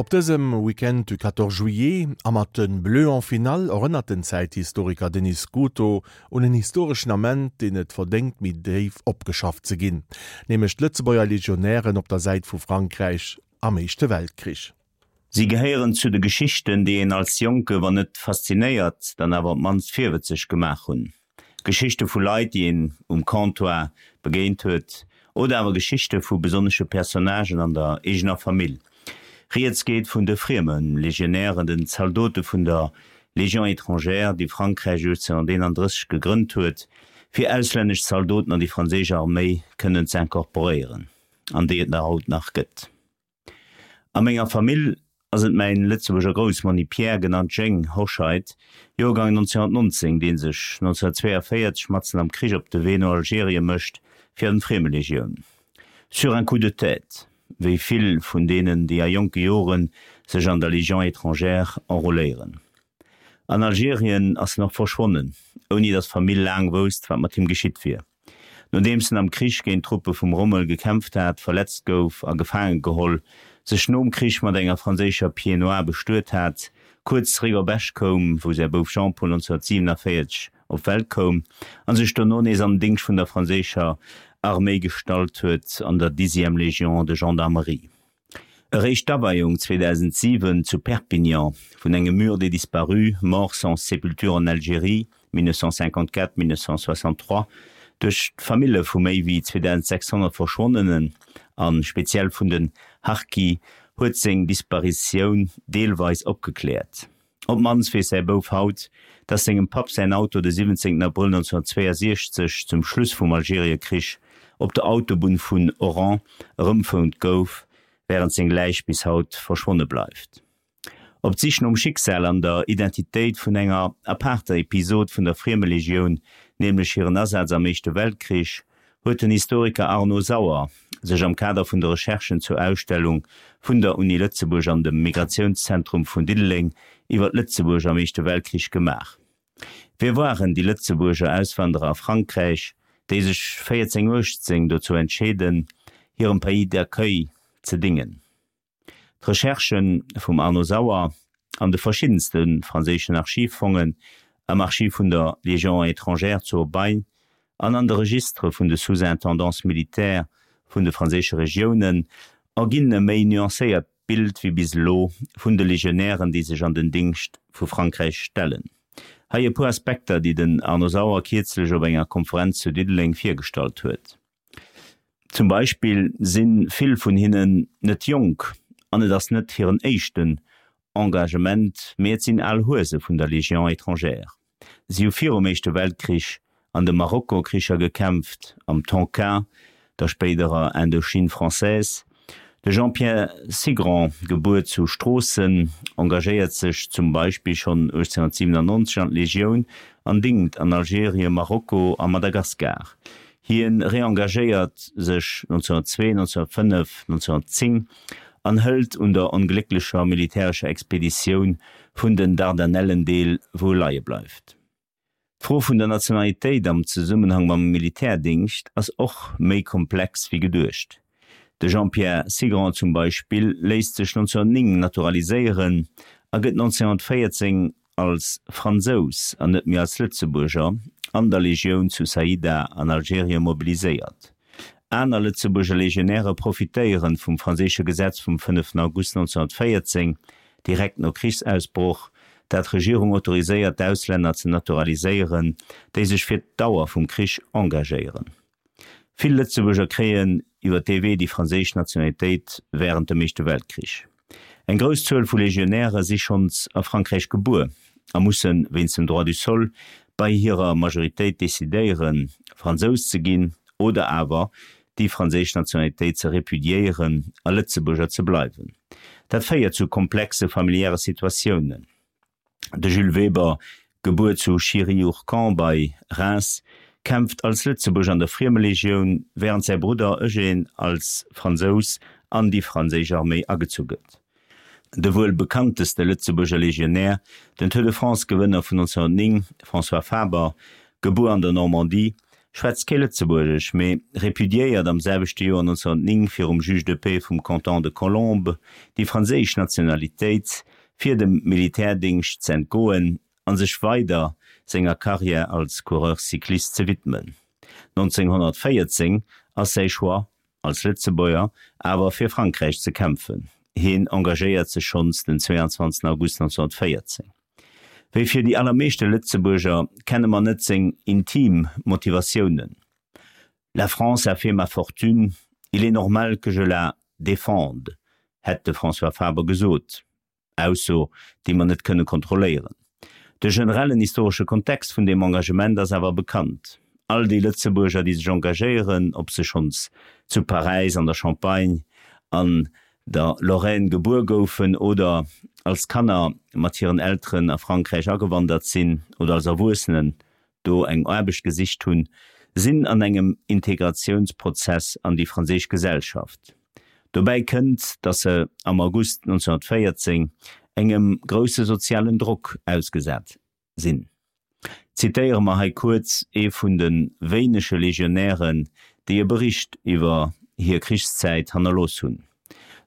Op dësem Weekend du 14 juillet a mat de Bleus en finale erënnert den Zäithistoriker Denis Scuto un en historeschen Ament, deen et verdéngt méi déif opgeschafft ze ginn, nämlech d'Lëtzebuerger Legionären op der Säit vu Frankräich am Éischte Weltkrich. Si gehéieren zu de Geschichten, déi een als Jonke wann net faszinéiert, dann awer op d'mannst virwëtzeg gemaach hunn. Geschichte vu Leit, déi een um Comptoir begéint huet, oder awer Geschichte vu besonnesche Personnagen an der eegener Famill. Rieds geet vun de frieme Legionären, den Zaldote vun der Légion étrangère, déi Frankräich 1831 gegrënnt huet, fir auslännesch Zaldoten an déi franséisch Arméi kënnen ze incorporéieren, an déi et nach haut nach gëtt. A menger Famill ass et mäin Lëtzebuerger Groussmonni Pierre, genannt Jeng Hoscheit, Joergang 1919, dee sech 1942 matzen am Krich op de Wee no Algerien mécht fir an d'Friemelegioun. Sur un coup de tête, wéi vill vun deenen, déi a jonke Jore sech an der Légion étrangère enrôléieren. An Algerien ass en och verschwonnen, ouni datt d'Famill laang wousst, wat mat him geschitt wier. Nodeems en am Krich géint d'Truppe vum Rommel gekämpft hat, verletzt gouf a gefaange geholl, sech nom Krich mat enger franséischer Pied-noire bestuet hat, kuerz zeréck op Esch koum, wou säi Bouf Jean-Paul 1947 op d'Welt koum, a sech dono nees an den Dingscht vun der franséischer Arméi gestallt huet, an der Dixième Légion de Gendarmerie. Eréischt d'Aweiung 2007 zu Perpignan vun engem Mur des disparus, morts sans sépulture en Algérie, 1954, 1963, duerch d'Famille vu méi wéi 2.600 Verschwonnenen a speziell vun den Harki huet seng Disparitioun deelweis opgekläert. Op d'mannst weess säi Bouf haut, dass sengem Papp säin Auto de 17 Abrëll 1962, zum Schluss vum Algeriekrich, op der Autobunn vun Oran erëmfound gouf, wärend seng Läich bis haut verschwonne bleift. Op d'Sich nom Schicksal an der Identitéit vun enger apaarter Episod vun der Friemelegioun, nämlech hiren Asaz am Éischte Weltkrich, huet den Historiker Arnaud Sauer sech am Kader vun de Recherchen zur Ausstellung vun der Uni Lëtzebuerg an dem Migratiounszentrum vun Diddeleng iwwer d'Lëtzebuerg am Éischte Weltkrich gemaach. Wie waren déi Lëtzebuerger Auswanderer a Frankräich, déi sech 1418 dozou entscheeden, hirem Pays d'accueil ze dingen? D'Recherchë vum Arnaud Sauer an de verschiddenste franséischen Archivfongen, am Archiv vun der Légion étrangère zu Aubagne an an de Registere vun de Sous-intendances militaires vun de franséische Regiounen erginn e méi nuancéiert Bild wéi bis elo vun de Legionären, déi sech an den Dingscht vu Frankräich stellen. Hei e puer Aspekter, déi den Arnaud Sauer kierzlech op enger Konferenz zu Diddeleng virgestallt huet. Zum Beispill si vill vun hinnen net jonk an et ass net hiren éischten Engagement, mee et sinn al Huese vun der Légion étrangère. Si hu virum Éischte Weltkrich an de Marokkokricher gekämpft, am Tonkin, der spéiderer Indochine française. De Jean-Pierre Cigrand, gebuer zu Stroossen, engagéiert sech zum Beispill schonn 1897 an d'Legioun an dingt an Algerien, Marokko a Madagaskar. Hie reengagéiert sech 1902, 1905, 1910 an hëlt un der onglécklecher militärescher Expeditioun vun den Dardanellen deel, wou e leie bleift. D'Fro vun der Nationalitéit am Zesummenhang mam Militärdingscht ass och méi komplex wéi geduecht. De Jean-Pierre Cigrand zum Beispill léisst sech 1909 naturaliséieren a gëtt 1914 als Fransous an net méi als Lëtzebuerger an der Legioun zu Saïda an Algerien mobiliséiert. Aner Lëtzebuerger Legionäre profitéieren vum franséische Gesetz vum 5 August 1914, direkt no Krichsausbroch, dat d'Regierung autoriséiert d'Auslänner ze naturaliséieren, déi sech fir d'Dauer vum Krich engagéieren. Vill Lëtzebuerger kréien iwwer dee Wee déi franséisch Nationalitéit wärend dem Éischte Weltkrich. Eng grouss Zuel vu Legionäre si schonns a Frankräich gebuer a musse wéinst dem Droit du sol bei hirer Majoritéit decidéieren, Fransous ze ginn oder awer déi franséisch Nationalitéit ze repudiéieren a Lëtzebuerger ze bleiwen. Dat féiert zu komplexe familiäre Situatiounen. De Jules Weber, gebuer zu Chiry-Ourcq bei Reims, kämpft als Lëtzebuerger an der Friemelegioun, wärend säi Brudder Eugène als Fransous an déi franséisch Arméi agezu gëtt. De wuel bekannteste Lëtzebuerger Legionär, den Tour de France-Gewënner vun 1909, François Faber, gebuer an der Normandie, schwätzt kee Lëtzebuergesch, mee repudiéiert am selwechte Joer 1909 virum Juge de paix vum Canton de Colombes déi franséisch Nationalitéit, fir dem Militärdéngscht z'entgoen a sech weider senger Karriär als Coureur cycliste ze widmen. 1914 ass säi Choix, als Lëtzebuerger awer fir Frankräich ze kämpfen. Hien engagéiert sech schonns den 22 August 1914. Wéi fir déi allermeeschte Lëtzebuerger kenne mer net seng intim Motivatiounen, La France a fait ma fortune, il est normal que je la défende, hätt de François Faber gesot. Ausso, déi mer net kënne kontrolléieren. De generellen historesche Kontext vun deem Engagement ass awer bekannt. All déi Lëtzebuerger, déi sech engagéieren, ob se schonns zu Paräis, an der Champagne, an der Lorraine gebuer goufen oder als Kanner mat hiren Elteren a Frankräich agewandert sinn oder als Erwuessenen do eng Aarbecht gesicht hunn, sinn an engem Integratiounsprozess an déi franséisch Gesellschaft. Dobäi kënnt, datt se am August 1914 engem grousse sozialen Drock ausgesat sinn. Zitéiere mer hei kuerz ee vun de wéinege Legionären, déi e Bericht iwwer hir Krichszäit hannerlooss hunn.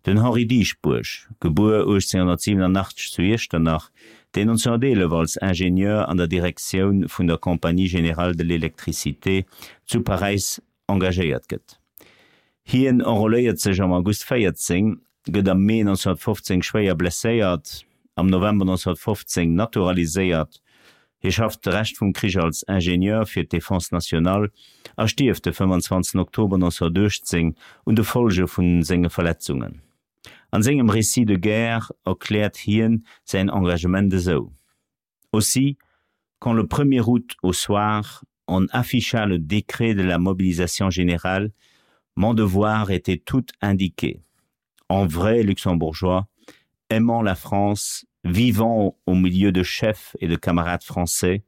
Den Henri Dieschbourg, gebuer 1887 zu Iechternach, deen 1911 als Ingenieur an der Direktioun vun der Compagnie Générale de l'Électricité zu Paräis engagéiert gëtt. Hien enrôléiert sech am August 14, gëtt am Mee 1915 schwéier blesséiert, am November 1915 naturaliséiert. Hie schafft de Rescht vum Krich als Ingenieur fir d'Défense nationale a stierft de 25 Oktober 1918 un de Folge vu senge Verletzungen. An sengem Récit de guerre erkläert hien säin Engagement esou. Aussi, quand le 1er août au soir, on afficha le décret de la mobilisation générale, mon devoir était tout indiqué. En vrai luxembourgeois, aimant la France, vivant au milieu de chefs et de camarades français,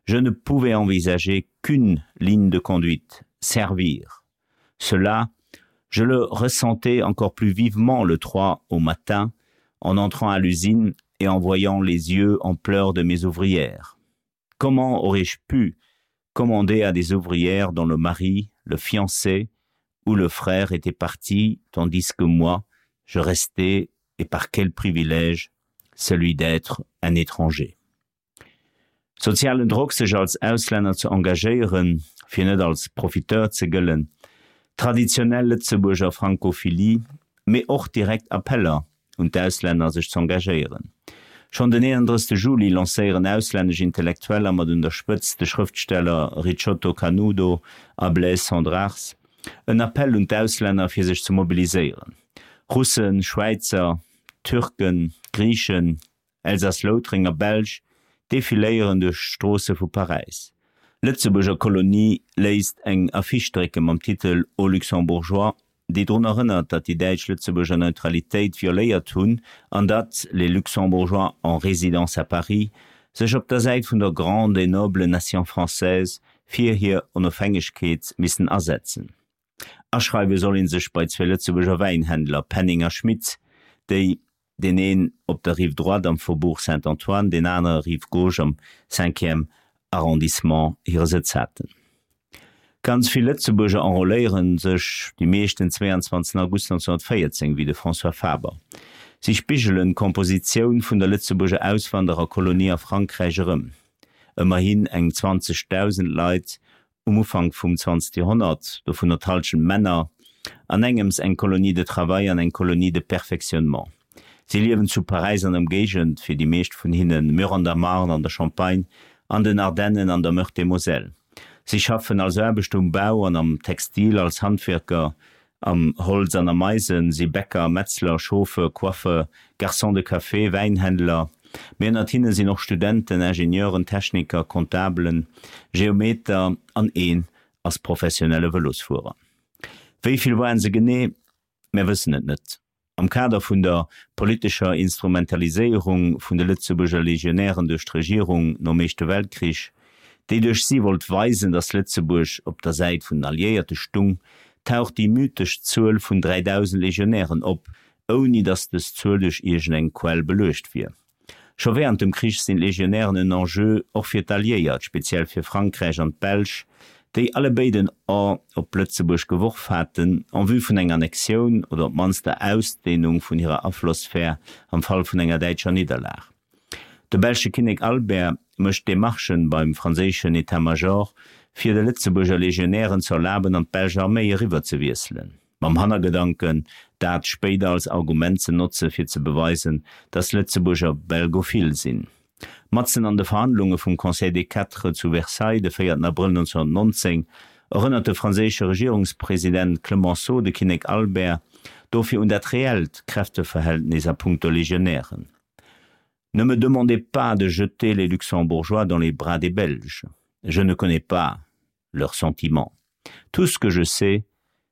je ne pouvais envisager qu'une ligne de conduite, servir. Cela, je le ressentais encore plus vivement le 3 au matin, en entrant à l'usine et en voyant les yeux en pleurs de mes ouvrières. Comment aurais-je pu commander à des ouvrières dont le mari, le fiancé ou le frère étaient partis, tandis que moi, je restais, et par quel privilège, celui d'être un étranger. Sozialen Drock sech als Auslänner ze engagéieren, fir net als Profiteur ze gëllen, traditionell Lëtzebuerger Francophilie, mee och direkt Appeller un d'Auslänner sech z'engagéieren. Schonn den 31 Juli lancéieren auslännesch Intellektueller, mat un der Spëtzt de Schrëftsteller Ricciotto Canudo a Blaise Cendrars, en Appell un d'Auslänner fir sech ze mobiliséieren. Russen, Schwäizer, Türken, Griichen, Elsass-Loutrenger, Belsch defiléieren duerch d'Stroosse vu Paräis. Lëtzebuerger Kolonie léisst eng Affiche drécke mam Titel Aux Luxembourgeois, déi drun erënnert, datt déi Däitsch Lëtzebuerger Neutralitéit violéiert hunn an datt les Luxembourgeois en résidence à Paris sech op der Säit vun der grande et noble nation française fir hir Onofhängegkeet missen asetzen. Aschreiwe soll ee sech bei zwee Lëtzebuerger Wäinhändler, Penning a Schmitz, déi, deen een op der Rive droite am Faubourg Saint-Antoine, deen anere Rive gauche am cinquième arrondissement hire Sëtz haten. Ganz vill Lëtzebuerger enrôléiere sech, déi meescht den 22 August 1914, wéi de François Faber. Si spigelen d'Kompositioun vun der Lëtzebuerger Auswandererkolonie a Frankräich erëm, ëmmerhin eng 20.000 Leit um Ufank vum 20. Joerhonnert, dovunner d'Hallschent Männer, an engems eng Colonie de travail an eng Colonie de perfectionnement. Si liewen zu Paräis an Ëmgéigend, fir déi meescht vun hinnen Mur an der Marne, an der Champagne, an den Ardennen, an der Meurthe-et-Moselle. Si schaffen als Aarbechter um Bau an am Textil, als Handwierker am Holz an am Eisen, si Bäcker, Metzler, Chauffeur, Coiffeur, Garçon de café, Wäinhändler, mee ënnert hinne sinn och Studenten, Ingenieuren, Techniker, Comptabelen, Geometer an een ass professionelle Vëlosfuerer. Wéi vill waren se genee? Mär wëssen et net. Am Kader vun der politescher Instrumentaliséierung vun de Lëtzebuerger Legionären duerch d'Regierung nom Éischte Weltkrich, déi duerch si wollt weisen, datt Lëtzebuerg op der Säit vun den Alliéierte stung, taucht déi mythesch Zuel vun 3.000 Legionären op, ouni datt dës Zuel duerch iergendeng Quell beluecht wier. Scho wärend dem Krich sinn d'Legionären en Enjeu och fir d'Alliéiert, speziell fir Frankräich an d'Belsch, déi allebéid en A op Lëtzebuerg geworf haten, en vue vun enger Annexioun oder op d'mannst der Ausdehnung vun hirer Aflossphär am Fall vun enger däitscher Nidderlag. De belsche Kinnek Albert mécht Demarchen beim franséischen État-Major, fir de Lëtzebuerger Legionären ze erlaben, an d'belsch Arméi eriwwer ze wiesselen, mam Hannergedanken, dat spéider als Argument ze notze fir ze beweisen, datt Lëtzebuerger belgophil sinn. Matzen an de Verhandlunge vum Conseil des Quatre zu Versailles de 4 Abrëll 1919 erënnert de franséische Regierungspresident Clemenceau de Kinnek Albert dofir un dat reellt Kräfteverhältnis a puncto Legionären. Ne me demandez pas de jeter les Luxembourgeois dans les bras des Belges. Je ne connais pas leurs sentiments. Tout ce que je sais,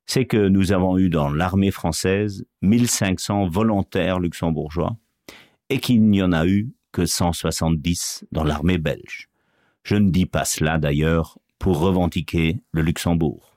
c'est que nous avons eu dans l'armée française 1500 volontaires luxembourgeois et qu'il n'y en a eu que 170 dans l'armée belge. Je ne dis pas cela d'ailleurs pour revendiquer le Luxembourg.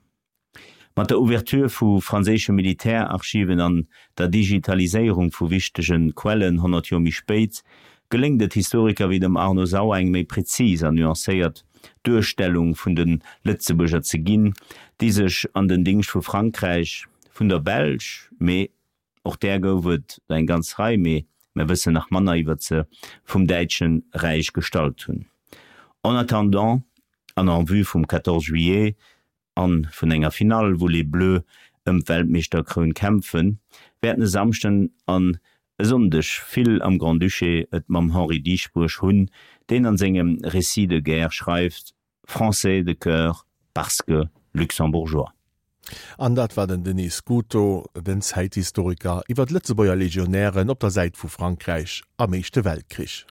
Mat der Ouverture vu franséische Militärarchiven an der Digitaliséierung vu wichtege Quellen 100 Joer méi spéit, geléngt et Historiker wéi dem Arno Sauer eng méi prezis an nuancéiert Duerstellung vun de Lëtzebuerger ze ginn, déi sech an den Dingscht vu Frankräich, vun der Belsch, mee och där gouf et der eng ganz Rei, mee mer wëssen nach manner iwwert se, vum Däitsche Räich gestallt hunn. En attendant an en vue vum 14 juillet An vun enger Finall, wou Les Bleus ëm d'Weltmeeschterkroun kämpfen, wäerten e Samschden an e Sonndeg vill am Grand-Duché et mam Henri Dieschbourg hunn, deen an sengem Récit de guerre schreift, Français de cœur parce que Luxembourgeois. An dat war den Denis Scuto, den Zäithistoriker, iwwer d'Lëtzebuerger Legionären op der Säit vu Frankräich am Éischte Weltkrich.